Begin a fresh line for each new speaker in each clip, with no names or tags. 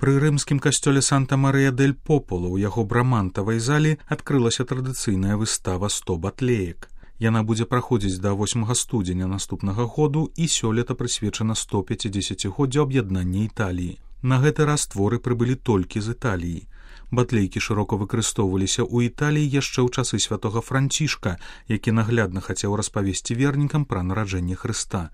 Пры рымскім касцёле Санта-Марыя-дель-Популо ў яго брамантавай залі адкрылася традыцыйная выстава «100 батлеек». Яна будзе праходзіць да 8 студзеня наступнага году і сёлета прысвечана 150-годдзю аб'яднання Італіі. На гэты раз творы прыбылі толькі з Італіі. Батлейкі шырока выкарыстоўваліся ў Італіі яшчэ ў часы святога Францішка, які наглядна хацеў распавесці вернікам пра нараджэнне Хрыста.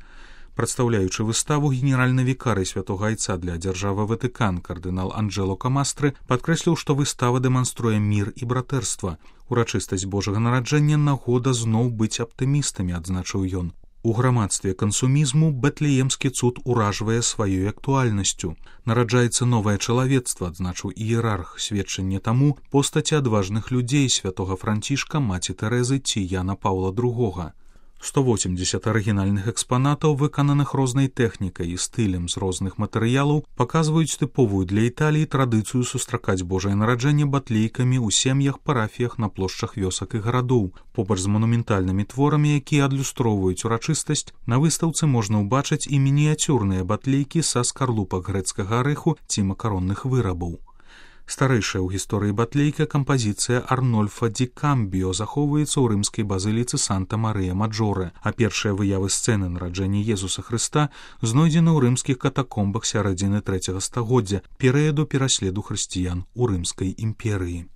Прадстаўляючы выставу, генеральны вікарый святога айца для дзяржавы Ватыкан кардынал Анджело Камастры падкрэсліў, што выстава дэманструе мір і братэрства. Урачыстасць Божага нараджэння нагода зноў быць аптымістамі, адзначыў ён. У грамадстве кансумізму бэтлеемскі цуд уражвае сваёй актуальнасцю. Нараджаецца новае чалавецтва, адзначыў іерарх, сведчанне таму постаці адважных людзей святога Францішка, маці Тэрэзы ці Яна Паўла II. 180 арыгінальных экспанатаў, выкананых рознай тэхнікай і стылем з розных матэрыялаў, паказваюць тыповую для Італіі традыцыю сустракаць Божае нараджэнне батлейкамі ў сем'ях, парафіях, на плошчах вёсак і гарадоў. Побач з манументальнымі творамі, якія адлюстроўваюць урачыстасць, на выстаўцы можна ўбачыць і мініяцюрныя батлейкі са скарлупак грэцкага арэху ці макаронных вырабаў. Старэйшая ў гісторыі батлейка кампазіцыя Арнольфа ді Камбіо захоўваецца ў рымскай базыліцы Санта-Марыя-Маджоре, а першыя выявы сцэны нараджэння Езуса Хрыста знойдзены ў рымскіх катакомбах сярэдзіны 3 стагоддзя, перыяду пераследу хрысціян у Рымскай імперыі.